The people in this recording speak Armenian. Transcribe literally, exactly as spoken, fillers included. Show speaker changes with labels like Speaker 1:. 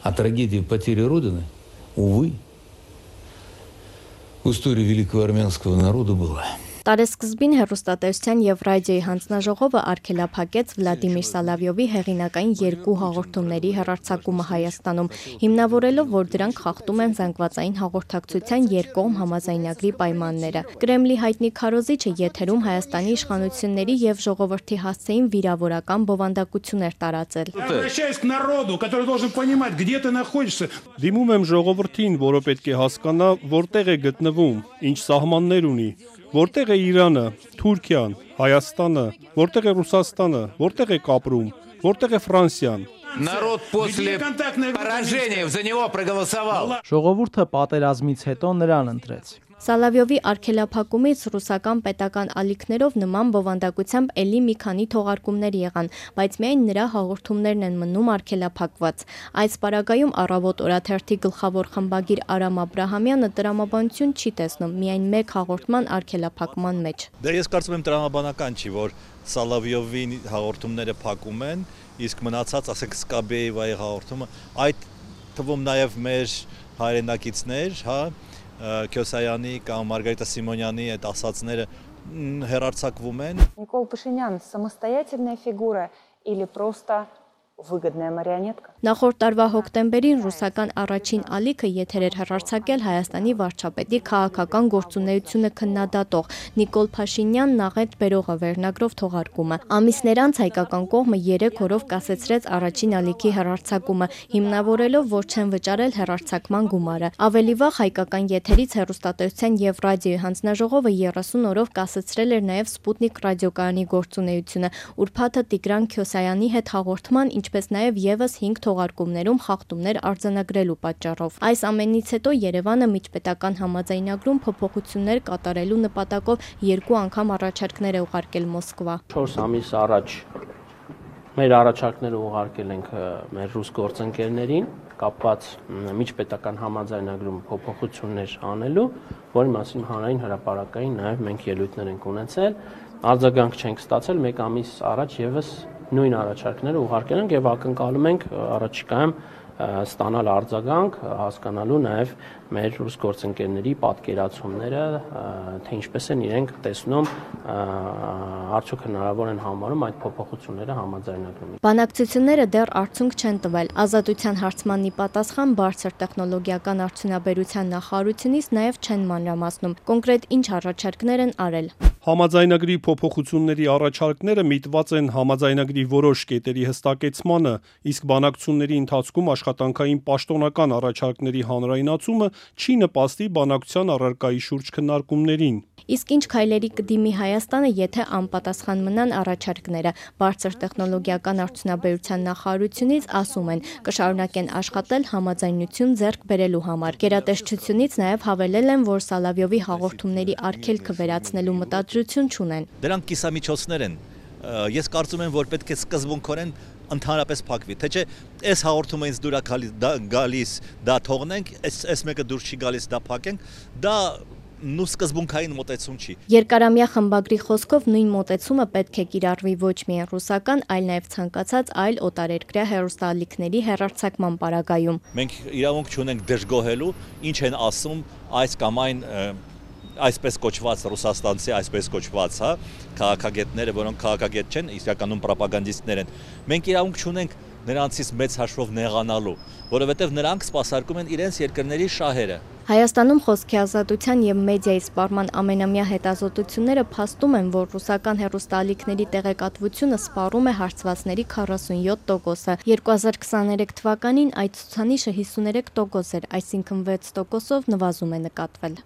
Speaker 1: А трагедия потери Родины, увы, в истории великого армянского народа была.
Speaker 2: Տարեսկզբին հեռուստատեսության և ռադիոյի հանձնաժողովը արգելափակեց Վլադիմիր Սալավյովի հեղինակային երկու հաղորդումների հեռարձակումը Հայաստանում, հիմնավորելով, որ դրանք խախտում են զանգվածային հաղորդակցության երկկողմ համաձայնագրի պայմանները։ Կրեմլի հայտնի քարոզիչը եթերում Հայաստանի իշխանությունների և ժողովրդի հասցեին վիրավորական բովանդակություններ տարածել։
Speaker 3: Դիմում եմ ժողովրդին, որը պետք է հասկանա, որտեղ է գտնվում, ինչ սահմաններ ունի, որտեղ է Իրանը, Թուրքիան, Հայաստանը, որտեղ է Ռուսաստանը, որտեղ է Կապրում, որտեղ է Ֆրանսիան։
Speaker 4: Народ после поражения за него проголосовал.
Speaker 5: Ժողովուրդը պատերազմից հետո նրան ընտրեց։
Speaker 2: Սալավյովի արգելափակումից ռուսական պետական ալիքներով նման բովանդակությամբ էլի մի քանի թողարկումներ եղան, բայց միայն նրա հաղորդումներն են մնում արգելափակված։ Այս պարագայում Առավոտ օրաթերթի գլխավոր խմբագիր Արամ Աբրահամյանը տրամաբանություն չի տեսնում միայն մեկ հաղորդման արգելափակման մեջ։
Speaker 6: Դե ես կարծում եմ տրամաբանական չի, որ Սալավյովի հաղորդումները փակում են, իսկ մնացած, ասենք Սկաբեևայի հաղորդումը, այդ թվում նաև մեր հայրենակիցներ, հա, Քյոսայանի կամ Մարգարիտա Սիմոնյանի այդ ասածները հեռարձակվում են։
Speaker 7: Никол Пашинян самостоятельная фигура или просто выгодная марионетка?
Speaker 2: Նախորդ տարվա հոկտեմբերին ռուսական առաջին ալիքը եթեր էր հեռարձակել Հայաստանի վարչապետի քաղաքական գործունեությունը քննադատող Նիկոլ Փաշինյանն աղետ բերողը վերնագրով թողարկումը։ Ամիսներ անց հայկական կողմը երեք օրով կասեցրեց առաջին ալիքի հեռարձակումը, հիմնավորելով, որ չեն վճարել հեռարձակման գումարը։ Ավելի վաղ հայկական եթերից հեռուստատեսության և ռադիոյի հանձնաժողովը երեսուն օրով կասեցրել էր նաև Սպուտնիկ ռադիոկայանի գործունեությունը, ուրբաթը Տիգրան Քյոսայանի հետ հաղորդման, ինչպես նաև ևս հինգ թողարկումներում խախտումներ արձանագրելու պատճառով։ Այս ամենից հետո Երևանը միջպետական համաձայնագրում փոփոխություններ կատարելու նպատակով երկու անգամ առաջարկներ է ուղարկել Մոսկվա։
Speaker 5: չորս ամիս առաջ մեր առաջարկները ուղարկել ենք մեր ռուս գործընկերներին, կապված միջպետական համաձայնագրում փոփոխություններ անելու, որի մասին հանրային հրապարակային նաև մենք ելույթներ ենք ունեցել, արձագանք չենք ստացել, մեկ ամիս առաջ ևս նույն առաջարկները ուղարկել ենք եւ ակնկալում ենք առաջիկայում ստանալ արձագանք, հասկանալու նաև մեր ռուս գործընկերների պատկերացումները, թե ինչպես են իրենք տեսնում, արդյոք հնարավոր են համարում այդ փոփոխությունները համաձայնագրում։
Speaker 2: Բանակցությունները դեռ արդյունք չեն տվել։ Ազատության հարցմանի պատասխան բարձր տեխնոլոգիական արդյունաբերության նախարարությունից նաև չեն մանրամասնում։ Կոնկրետ ինչ առաջարկներ են արել։
Speaker 3: Համաձայնագրի փոփոխությունների առաջարկները միտված են համաձայնագրի որոշ կետերի հստակեցմանը, իսկ բանակցությունների ընթացքում աշխատանքային պաշտոնական առաջարկների հանրայնացումը չի նպաստի բանակցության առարկայի շուրջ քննարկումներին։
Speaker 2: Իսկ ինչ քայլերի կդիմի Հայաստանը, եթե անպատասխան մնան առաջարկները։ Բարձր տեխնոլոգիական արդյունաբերության նախարարությունից ասում են, կշարունակեն աշխատել համաձայնություն ձեռք բերելու համար։ Գերատեսչությունից նաև հավելել են, որ Սալավյովի հաղորդումների արգելքը վերացնելու մտադրություն չունեն։
Speaker 6: Դրանք կիսամիջոցներ են։ Ես կարծում եմ, որ պետք է սկզբունքորեն ընդհանրապես փակվի, թե չէ այս հաղորդումը ինձ դուր է գալիս, դա թողնենք, այս մեկը դուր չի գալիս, դա փակենք, դա նու սկզբունքային մոտեցում չի։
Speaker 2: Երկարամյա խմբագրի խոսքով նույն մոտեցումը պետք է կիրառվի ոչ միայն ռուսական, այլ նաև ցանկացած այլ օտարերկրյա հեռուստաալիքների հեռարձակման պարագայում։
Speaker 6: Մենք իրավունք չունենք դժգոհելու, ինչ են ասում այս կամ այն այսպես կոչված ռուսաստանցի, այսպես կոչված, հա, քաղաքագետները, որոնք քաղաքագետ չեն, իսկականում պրոպագանդիստներ են։ Մենք իրավունք չունենք նրանցից մեծ հաշվով նեղանալու, որովհետև նրանք սպասարկում են իրենց երկրների շահերը։
Speaker 2: Հայաստանում խոսքի ազատության և մեդիայի սպառման ամենամյա հետազոտությունները փաստում են, որ ռուսական հեռուստաալիքների տեղեկատվությունը սպառում է հարցվածների քառասունյոթ տոկոսը։ երկու հազար քսաներեք թվականին այդ ցուցանիշը հիսուներեք տոկոս էր, այսինքն վեց տոկոսով նվազում է նկատվել։